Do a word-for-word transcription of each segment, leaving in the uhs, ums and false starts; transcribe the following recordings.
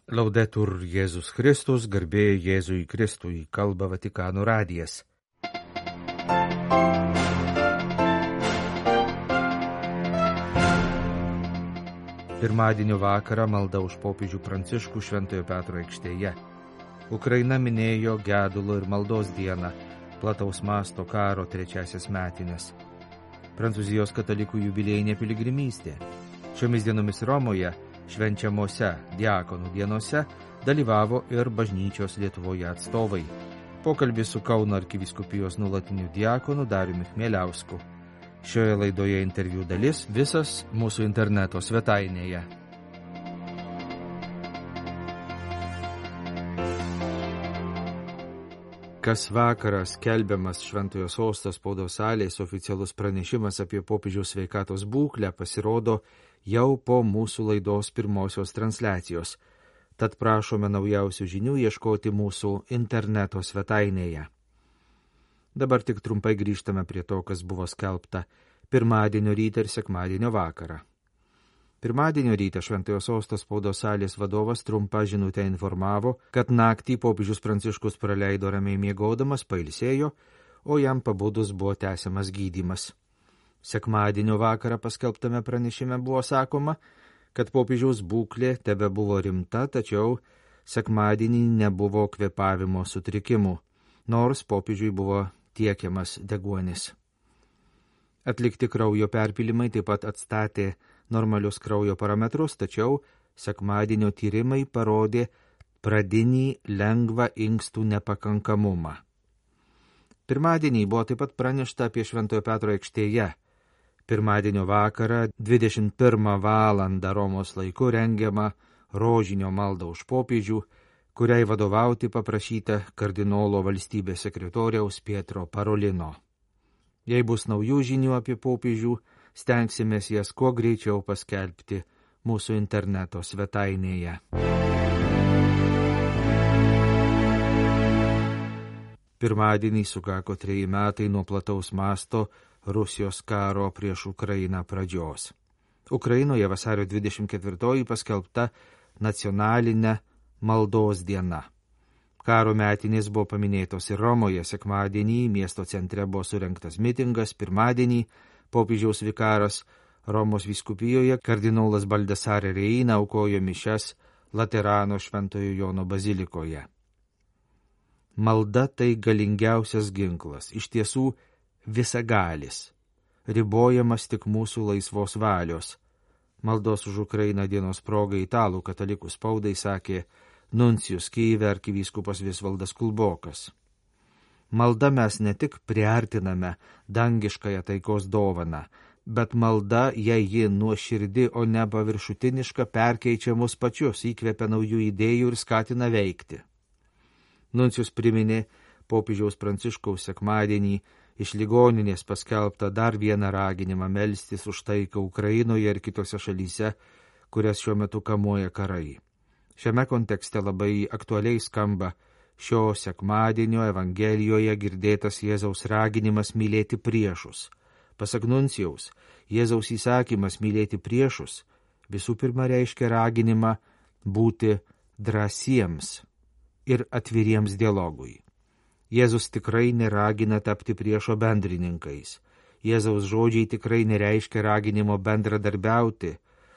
Laudetur Jėzus Kristus, garbė Jėzui Kristui, kalba Vatikano radijas. Pirmadienio vakarą malda už popiežių Pranciškų Šventojo Petro aikštėje. Ukraina minėjo gedulo ir maldos dieną, plataus masto karo trečiasias metinės. Prancūzijos katalikų jubiliejinė piligrimystė. Šiomis dienomis Romoje švenčiamose diakonų dienose dalyvavo ir bažnyčios Lietuvoje atstovai. Pokalbis su Kauno arkivyskupijos nuolatiniu diakonu Dariumi Chmieliausku. Šioje laidoje interviu dalis visas mūsų interneto svetainėje. Kas vakarą skelbiamas Šventojo Sosto spaudos salės oficialus pranešimas apie popiežiaus sveikatos būklę pasirodo jau po mūsų laidos pirmosios transliacijos, tad prašome naujausių žinių ieškoti mūsų interneto svetainėje. Dabar tik trumpai grįžtame prie to, kas buvo skelbta pirmadienio rytą ir sekmadienio vakarą. Pirmadienio rytą Šventojo Sosto spaudos salės vadovas trumpa žinutę informavo, kad naktį popiežius Pranciškus praleido ramiai miegodamas, pailsėjo, o jam pabudus buvo tęsiamas gydymas. Sekmadienio vakarą paskelbtame pranešime buvo sakoma, kad popiežiaus būklė tebe buvo rimta, tačiau sekmadienį nebuvo kvėpavimo sutrikimų, nors popiežiui buvo tiekiamas deguonis. Atlikti kraujo perpilimai taip pat atstatė normalius kraujo parametrus, tačiau sekmadienio tyrimai parodė pradinį lengvą inkstų nepakankamumą. Pirmadienį buvo taip pat pranešta apie Šventojo Petro aikštėje. Pirmadienio vakarą dvidešimt pirmą valandą Romos laiku rengiama rožinio malda už popiežių, kuriai vadovauti paprašyta kardinolo valstybės sekretoriaus Pietro Parolino. Jei bus naujų žinių apie popiežių, stengsimės jas kuo greičiau paskelbti mūsų interneto svetainėje. Pirmadienį sukako treji metai nuo plataus masto Rusijos karo prieš Ukrainą pradžios. Ukrainoje vasario dvidešimt ketvirtoji paskelbta nacionalinė maldos diena. Karo metinės buvo paminėtos ir Romoje, sekmadienį miesto centre buvo surengtas mitingas, pirmadienį popiežiaus vikaras Romos vyskupijoje kardinolas Baldesare Reina aukojo mišias Laterano Šventojo Jono bazilikoje. Malda tai galingiausias ginklas, iš tiesų visagalis, ribojamas tik mūsų laisvos valios. Maldos už Ukrainą dienos proga italų katalikų spaudai sakė nuncijus Kyjive arkivyskupas Visvaldas Kulbokas. Malda mes ne tik priartiname dangiškąją taikos dovaną, bet malda, jei ji nuoširdi, o ne paviršutiniška, perkeičia mus pačius, įkvepia naujų idėjų ir skatina veikti. Nuncijus priminė popiežiaus Pranciškaus sekmadienį iš ligoninės paskelbtą dar vieną raginimą melstis už taiką Ukrainoje ir kitose šalyse, kurias šiuo metu kamuoja karai. Šiame kontekste labai aktualiai skamba šio sekmadienio Evangelijoje girdėtas Jėzaus raginimas mylėti priešus. Pasak nuncijaus, Jėzaus įsakymas mylėti priešus visų pirma reiškia raginimą būti drąsiems ir atviriems dialogui. Jėzus tikrai neragina tapti priešo bendrininkais. Jėzaus žodžiai tikrai nereiškia raginimo bendradarbiauti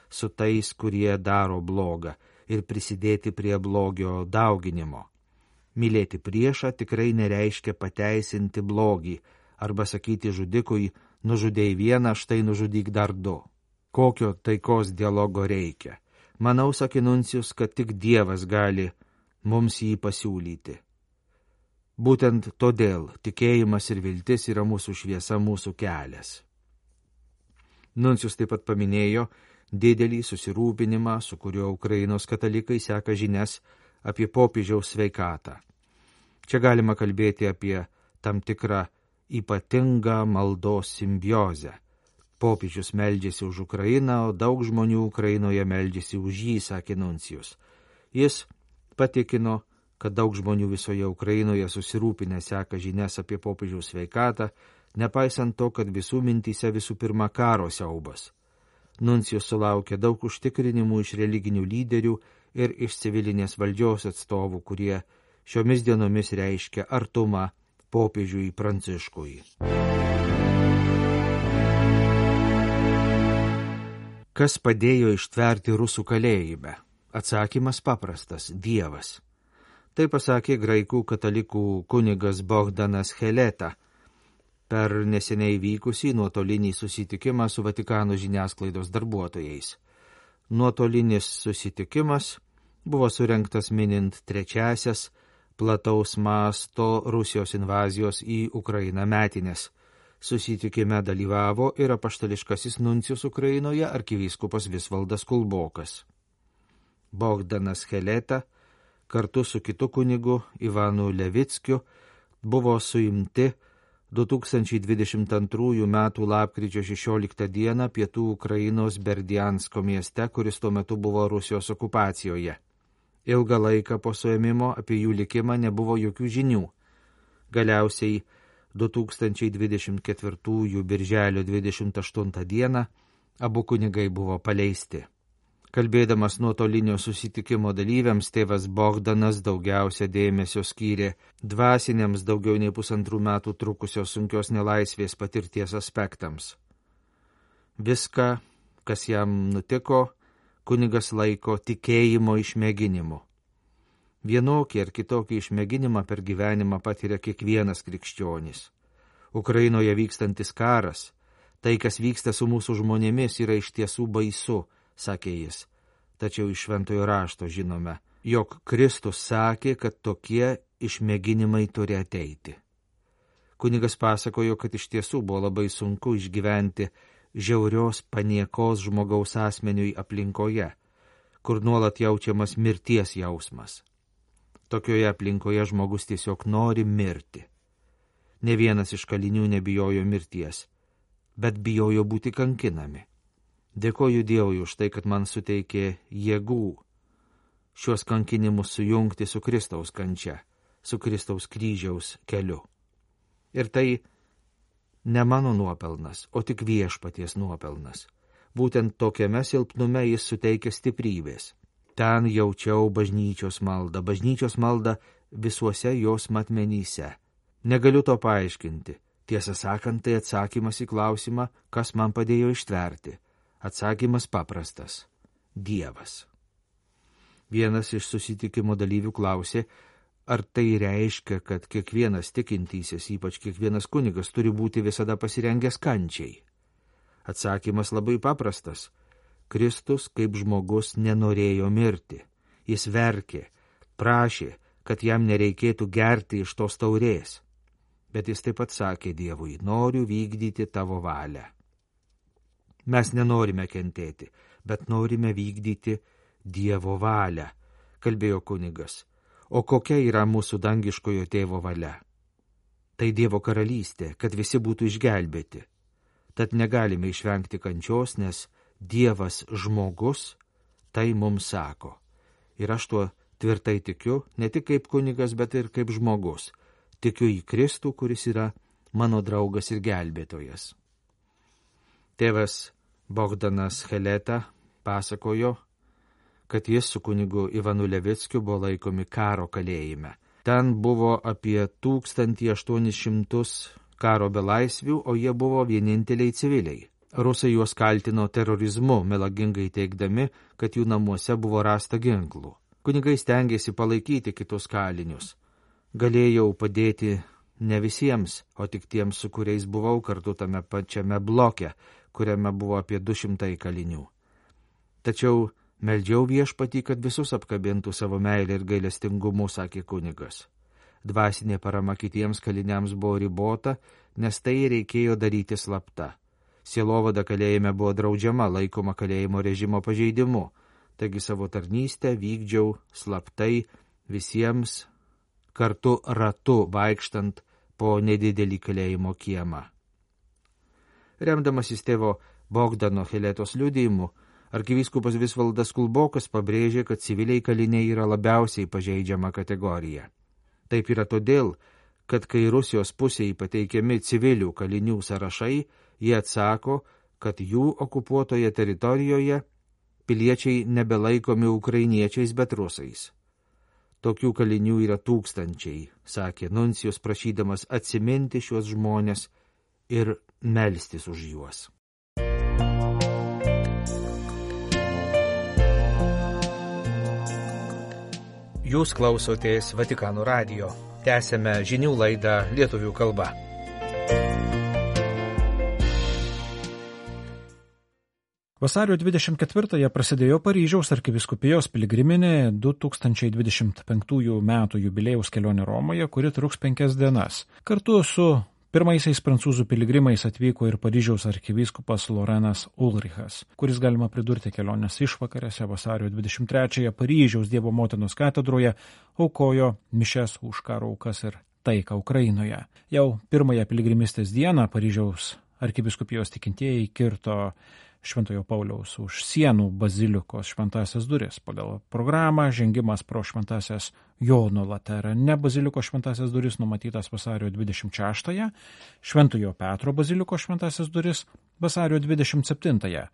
su tais, kurie daro blogą ir prisidėti prie blogio dauginimo. Mylėti priešą tikrai nereiškia pateisinti blogį arba sakyti žudikui, nužudėjai vieną, štai nužudyk dar du. Kokio taikos dialogo reikia? Manau, sakė nuncijus, kad tik Dievas gali mums jį pasiūlyti. Būtent todėl tikėjimas ir viltis yra mūsų šviesa, mūsų kelias. Nuncijus taip pat paminėjo didelį susirūpinimą, su kuriuo Ukrainos katalikai seka žinias apie popiežiaus sveikatą. Čia galima kalbėti apie tam tikrą ypatingą maldos simbiozę. Popiežius meldžiasi už Ukrainą, o daug žmonių Ukrainoje meldžiasi už jį, sakė nuncijus. Jis patikino, kad daug žmonių visoje Ukrainoje susirūpinę seka žinias apie popiežiaus sveikatą, nepaisant to, kad visų mintyse visų pirma karo siaubas. Nuncijus sulaukė daug užtikrinimų iš religinių lyderių ir iš civilinės valdžios atstovų, kurie šiomis dienomis reiškia artumą popiežiui Pranciškui. Kas padėjo ištverti rusų kalėjime? Atsakymas paprastas – Dievas. Tai pasakė graikų katalikų kunigas Bogdanas Heleta per neseniai vykusį nuotolinį susitikimą su Vatikano žiniasklaidos darbuotojais. Nuotolinis susitikimas buvo surengtas minint trečiasias plataus masto Rusijos invazijos į Ukrainą metinės. Susitikime dalyvavo ir apaštališkasis nuncijus Ukrainoje arkivyskupas Visvaldas Kulbokas. Bogdanas Heleta kartu su kitu kunigu Ivanu Levickiu buvo suimti du tūkstančiai dvidešimt antrųjų metų lapkričio šešioliktą dieną pietų Ukrainos Berdiansko mieste, kuris tuo metu buvo Rusijos okupacijoje. Ilgą laiką po suėmimo apie jų likimą nebuvo jokių žinių. Galiausiai du tūkstančiai dvidešimt ketvirtųjų birželio dvidešimt aštuntą dieną abu kunigai buvo paleisti. Kalbėdamas nuotolinio susitikimo dalyviams, tėvas Bogdanas daugiausia dėmesio skyrė dvasiniams daugiau nei pusantrų metų trukusios sunkios nelaisvės patirties aspektams. Viską, kas jam nutiko, kunigas laiko tikėjimo išmėginimu. Vienokį ar kitokį išmėginimą per gyvenimą patiria kiekvienas krikščionis. Ukrainoje vykstantis karas, tai, kas vyksta su mūsų žmonėmis, yra iš tiesų baisu, sakė jis. Tačiau iš šventojo rašto žinome, jog Kristus sakė, kad tokie išmėginimai turi ateiti. Kunigas pasakojo, kad iš tiesų buvo labai sunku išgyventi žiaurios paniekos žmogaus asmeniui aplinkoje, kur nuolat jaučiamas mirties jausmas. Tokioje aplinkoje žmogus tiesiog nori mirti. Ne vienas iš kalinių nebijojo mirties, bet bijojo būti kankinami. Dėkoju Dievui už tai, kad man suteikė jėgų šios kankinimus sujungti su Kristaus kančia, su Kristaus kryžiaus keliu. Ir tai ne mano nuopelnas, o tik viešpaties nuopelnas. Būtent tokiame silpnume jis suteikia stiprybės. Ten jaučiau bažnyčios maldą, bažnyčios maldą visuose jos matmenyse. Negaliu to paaiškinti. Tiesą sakant, tai atsakymas į klausimą, kas man padėjo ištverti. Atsakymas paprastas – Dievas. Vienas iš susitikimo dalyvių klausė, ar tai reiškia, kad kiekvienas tikintysis, ypač kiekvienas kunigas, turi būti visada pasirengęs kančiai. Atsakymas labai paprastas. Kristus kaip žmogus nenorėjo mirti. Jis verkė, prašė, kad jam nereikėtų gerti iš tos taurės. Bet jis taip pat sakė Dievui, noriu vykdyti tavo valią. Mes nenorime kentėti, bet norime vykdyti Dievo valią, kalbėjo kunigas. O kokia yra mūsų dangiškojo tėvo valia? Tai Dievo karalystė, kad visi būtų išgelbėti. Tad negalime išvengti kančios, nes Dievas žmogus tai mums sako. Ir aš tuo tvirtai tikiu, ne tik kaip kunigas, bet ir kaip žmogus. Tikiu į Kristų, kuris yra mano draugas ir gelbėtojas. Tėvas Bogdanas Heleta pasakojo, kad jis su kunigu Ivanu Levickiu buvo laikomi karo kalėjime. Ten buvo apie tūkstantį aštuonis šimtus karo belaisvių, o jie buvo vieninteliai civiliai. Rusai juos kaltino terorizmu, melagingai teigdami, kad jų namuose buvo rasta ginklų. Kunigai stengėsi palaikyti kitus kalinius. Galėjau padėti ne visiems, o tik tiems, su kuriais buvau kartu tame pačiame bloke, kuriame buvo apie du šimtai kalinių. Tačiau meldžiau viešpatį, kad visus apkabintų savo meilę ir gailestingumu, sakė kunigas. Dvasinė parama kitiems kaliniams buvo ribota, nes tai reikėjo daryti slapta. Sielovada kalėjime buvo draudžiama, laikoma kalėjimo režimo pažeidimu, taigi savo tarnystę vykdžiau slaptai visiems kartu ratu vaikštant po nedidelį kalėjimo kiemą. Remdamasis tėvo Bogdano Heletos liudijimu, arkivyskupas Visvaldas Kulbokas pabrėžė, kad civiliai kaliniai yra labiausiai pažeidžiama kategorija. Taip yra todėl, kad kai Rusijos pusėje pateikiami civilių kalinių sąrašai, jie atsako, kad jų okupuotoje teritorijoje piliečiai nebelaikomi ukrainiečiais, bet rusais. Tokių kalinių yra tūkstančiai, sakė nuncijus, prašydamas atsiminti šiuos žmonės ir melstis už juos. Jūs klausotės Vatikano radijo. Tęsėme žinių laidą lietuvių kalba. Vasario dvidešimt ketvirtąją prasidėjo Paryžiaus arkivyskupijos piligriminė du tūkstančiai dvidešimt penktųjų metų jubiliejaus kelionė Romoje, kuri truks penkias dienas. Kartu su pirmaisiais prancūzų piligrimais atvyko ir Paryžiaus arkivyskupas Lorenas Ulrichas, kuris, galima pridurti, kelionės išvakarėse vasario dvidešimt trečiąją Paryžiaus Dievo motinos katedroje aukojo mišias už karo aukas ir taiką Ukrainoje. Jau pirmąją piligrimistės dieną Paryžiaus arkivyskupijos tikintieji kirto Šventojo Pauliaus už sienų bazilikos šventasias duris. Pagal programą žengimas pro šventasias Jono Laterane bazilikos šventasias duris numatytas vasario dvidešimt šeštąją, Šventojo Petro bazilikos šventasias duris vasario dvidešimt septintąją,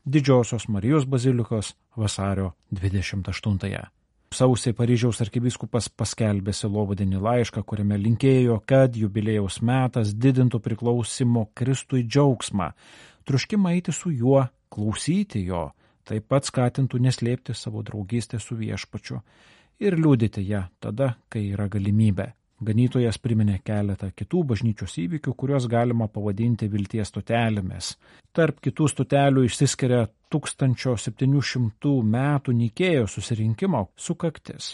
Didžiosios Marijos bazilikos vasario dvidešimt aštuntąją. Sausį Paryžiaus arkivyskupas paskelbė sielovadinį laišką, kuriame linkėjo, kad jubiliejaus metas didintų priklausimo Kristui džiaugsmą, troškimą eiti su juo, klausyti jo, taip pat skatintų neslėpti savo draugystę su viešpačiu ir liudyti ją tada, kai yra galimybė. Ganytojas priminė keletą kitų bažnyčios įvykių, kuriuos galima pavadinti vilties stotelėmis. Tarp kitų stotelių išsiskiria tūkstančio septynių šimtų metų Nikėjos susirinkimo sukaktis.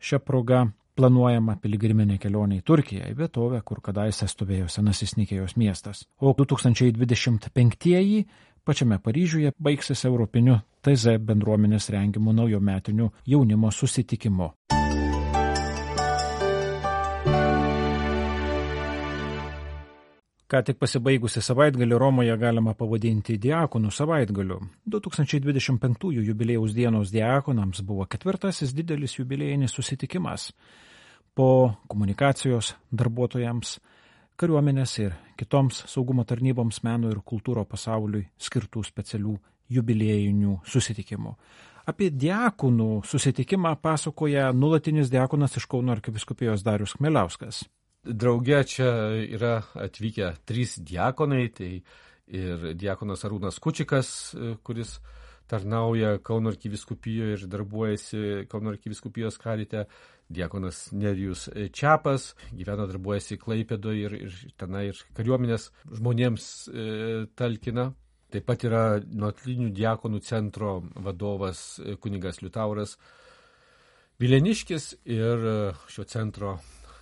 Šia proga planuojama piligriminė kelionė į Turkiją, į vietovę, kur kadaise stovėjo senasis Nikėjos miestas. O du tūkstančiai dvidešimt penktieji pačiame Paryžiuje baigsis Europiniu T Z bendruomenės rengimu naujometiniu jaunimo susitikimu. Ką tik pasibaigusi savaitgalį Romoje galima pavadinti diakonų savaitgaliu. du tūkstančiai dvidešimt penktųjų jubiliejaus dienos diakonams buvo ketvirtasis didelis jubiliejinis susitikimas. Po komunikacijos darbuotojams, kariuomenės ir kitoms saugumo tarnyboms, meno ir kultūro pasauliui skirtų specialių jubiliejinių susitikimų. Apie diakonų susitikimą pasakoja nuolatinis diakonas iš Kauno arkivyskupijos Darius Chmieliauskas. Drauge čia yra atvykę trys diakonai, tai ir diakonas Arūnas Kučikas, kuris tarnauja Kauno arkivyskupijoje ir darbuojasi Kauno arkivyskupijos karite, diakonas Nerijus Čiapas, gyvena, darbuojasi Klaipėdoje ir, ir tenai ir kariuomenės žmonėms e, talkina. Taip pat yra nuotolinių diakonų centro vadovas kunigas Liutauras Vileniškis ir šio centro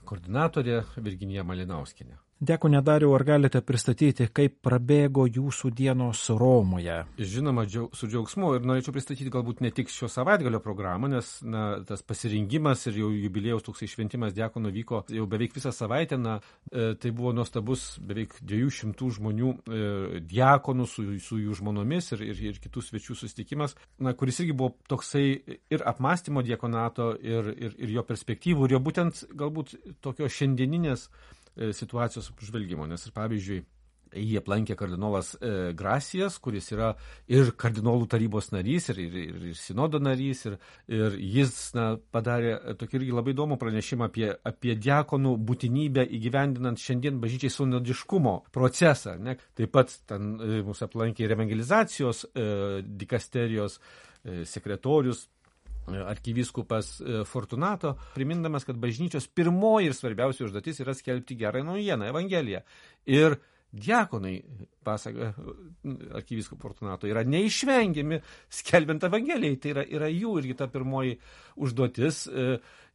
koordinatorė Virginija Malinauskienė. Diakone Dariau, ar galite pristatyti, kaip prabėgo jūsų dienos Romoje? Žinoma, džiaug, su džiaugsmu, ir norėčiau pristatyti galbūt ne tik šio savaitgalio programą, nes na, tas pasirengimas ir jau jubiliejaus toksai šventimas diakonų vyko jau beveik visą savaitę. Na, e, tai buvo nuostabus beveik dviejų šimtų žmonių e, diakonų su, su jų žmonomis ir, ir, ir kitų svečių susitikimas, na, kuris irgi buvo toksai ir apmąstymo diakonato ir, ir, ir jo perspektyvų, ir jo būtent galbūt tokio šiandieninės situacijos apžvelgimo, nes ir pavyzdžiui, jį aplankė kardinolas e, Gracijas, kuris yra ir kardinolų tarybos narys, ir, ir, ir, ir sinodo narys, ir, ir jis na, padarė tokį irgi labai įdomų pranešimą apie, apie diakonų būtinybę įgyvendinant šiandien bažnyčiai sinodiškumo procesą. Ne? Taip pat ten e, mūsų aplankė ir evangelizacijos e, dikasterijos e, sekretorius, arkivyskupas Fortunato, primindamas, kad bažnyčios pirmoji ir svarbiausia užduotis yra skelbti gerą naujieną, evangeliją. Ir diakonai, pasaka arkivyskupo Fortunato, yra neišvengiami skelbiant evangeliją. Tai yra, yra jų irgi ta pirmoji užduotis.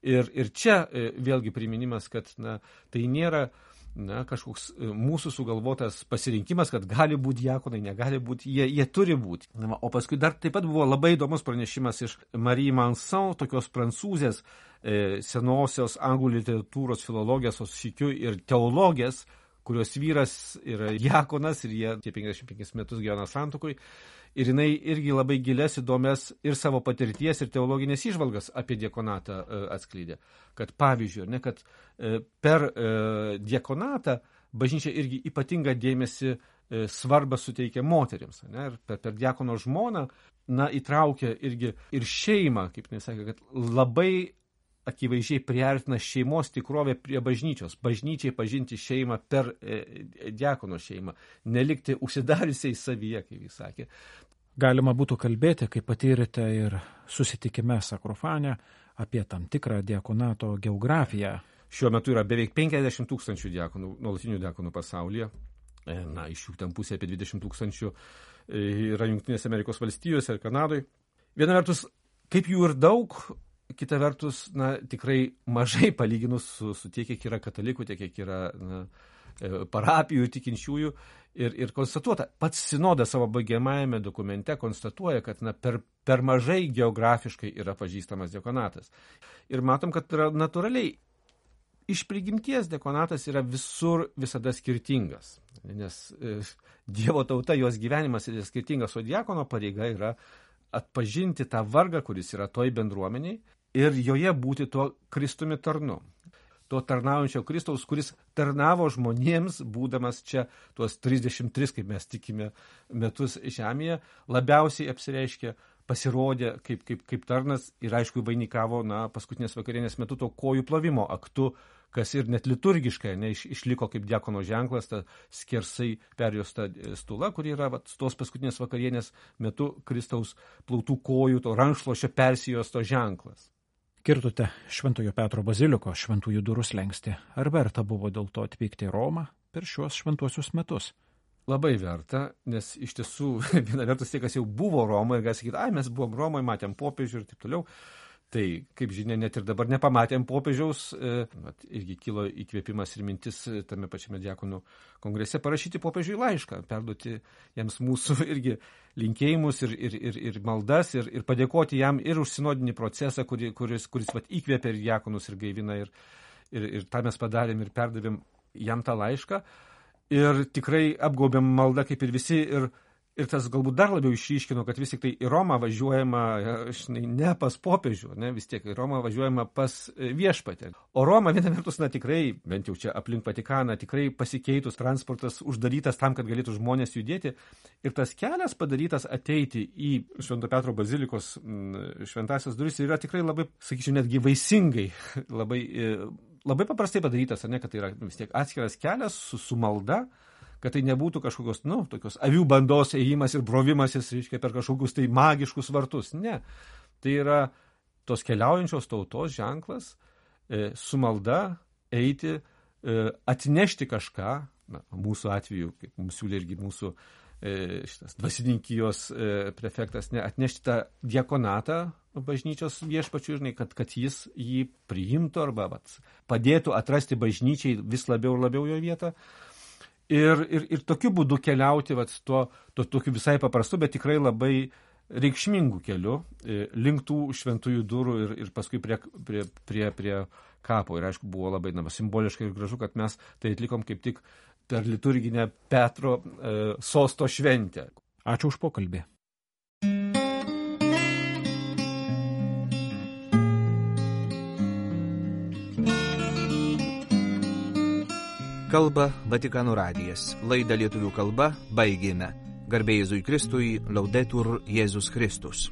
Ir, ir čia vėlgi priminimas, kad na, tai nėra na, kažkoks mūsų sugalvotas pasirinkimas, kad gali būti diakonai, negali būti, jie, jie turi būti. Na, o paskui dar taip pat buvo labai įdomus pranešimas iš Marie Manson, tokios prancūzės e, senosios anglų literatūros filologės, o sykiu ir teologės, kurios vyras yra diakonas ir jie tie penkiasdešimt penkis metus gyvena santuokoj. Ir jinai irgi labai gilias, įdomias ir savo patirties ir teologinės įžvalgas apie diakonatą atskleidė. Kad pavyzdžiui, ne, kad per diakonatą bažnyčia irgi ypatingą dėmesį svarbą suteikia moterims. Ne, ir per, per diakono žmoną na, įtraukia irgi ir šeimą, kaip nesakė, kad labai akivaizdžiai priartina šeimos tikrovę prie bažnyčios. Bažnyčiai pažinti šeimą per e, diakono šeimą, nelikti užsidariusiai savyje, kaip jis sakė. Galima būtų kalbėti, kaip patyrėte ir susitikime Sakrofane, apie tam tikrą diakonato geografiją. Šiuo metu yra beveik penkiasdešimt tūkstančių diakonų, nuolatinių diakonų pasaulyje. Na, iš jų ten pusė apie dvidešimt tūkstančių yra Jungtinėse Amerikos valstijose ir Kanadoje. Viena vertus, kaip jų ir daug, kita vertus, na, tikrai mažai palyginus su, su tiek, kiek yra katalikų, tiek, kiek yra na, parapijų tikinčiųjų. Ir, ir konstatuota, pats sinodas savo baigiamajame dokumente konstatuoja, kad na, per, per mažai geografiškai yra pažįstamas diakonatas. Ir matom, kad yra natūraliai iš prigimties diakonatas yra visur visada skirtingas. Nes e, Dievo tauta, jos gyvenimas yra skirtingas, o diakono pareiga yra atpažinti tą vargą, kuris yra toj bendruomeniai ir joje būti tuo Kristumi tarnu. To tarnaujančio Kristaus, kuris tarnavo žmonėms, būdamas čia tuos trisdešimt tris, kaip mes tikime, metus žemėje, labiausiai apsireiškė, pasirodė kaip, kaip, kaip tarnas ir aišku vainikavo na, paskutinės vakarienės metu to kojų plovimo aktu, kas ir net liturgiškai ne, iš, išliko kaip diakono ženklas, ta skersai perjuosta stula, kuri yra vat, tos paskutinės vakarienės metu Kristaus plautų kojų, to rankšluosčio persijuosto ženklas. Kirtote Šventojo Petro baziliko šventųjų durų slengsti. Ar verta buvo dėl to atvykti į Romą per šiuos šventuosius metus? Labai verta, nes iš tiesų viena vertus tie, kas jau buvo Romoje, gali sakyti, ai, mes buvom Romoje, matėm popiežių ir taip toliau. Tai, kaip žinia, net ir dabar nepamatėm popiežiaus, e, mat, irgi kilo įkvėpimas ir mintis tame pačiame diakonų kongrese parašyti popiežiui laišką, perduoti jiems mūsų irgi linkėjimus ir, ir, ir, ir maldas ir, ir padėkoti jam ir už sinodinį procesą, kuri, kuris, kuris vat, įkvėpia ir diakonus ir gaivina ir, ir, ir tą mes padarėm ir perdavėm jam tą laišką ir tikrai apgaubėm maldą kaip ir visi ir Ir tas galbūt dar labiau išryškino, kad vis tik tai į Romą važiuojama žinai, ne pas popiežių, ne, vis tiek į Romą važiuojama pas viešpatę. O Roma viena vertus, na tikrai, bent jau čia aplink Vatikaną, tikrai pasikeitus, transportas uždarytas tam, kad galėtų žmonės judėti. Ir tas kelias padarytas ateiti į Švento Petro bazilikos šventąsias duris yra tikrai labai, sakyčiau, netgi vaisingai, labai, labai paprastai padarytas, ne, kad tai yra vis tiek atskiras kelias su, su malda, kad tai nebūtų kažkokios, nu, tokios avių bandos ėjimas ir brovimasis, reiškia, per kažkokius tai magiškus vartus. Ne. Tai yra tos keliaujančios tautos ženklas, e, su malda eiti, e, atnešti kažką, na, mūsų atveju, kaip mums siūlė irgi mūsų e, šitas dvasininkijos e, prefektas, ne, atnešti tą diakonatą bažnyčios viešpačių, žinai, kad, kad jis jį priimtų arba vat, padėtų atrasti bažnyčiai vis labiau ir labiau jo vietą. Ir, ir, ir tokiu būdu keliauti vat, tuo, tuo tokiu visai paprastu, bet tikrai labai reikšmingų kelių link tų šventųjų durų ir, ir paskui prie, prie, prie, prie kapo. Ir aišku, buvo labai na, simboliškai ir gražu, kad mes tai atlikom kaip tik per liturginę Petro e, sosto šventę. Ačiū už pokalbį. Kalba Vatikano radijas. Laidą lietuvių kalba baigėme. Garbė Jėzui Kristui, Laudetur Jėzus Kristus.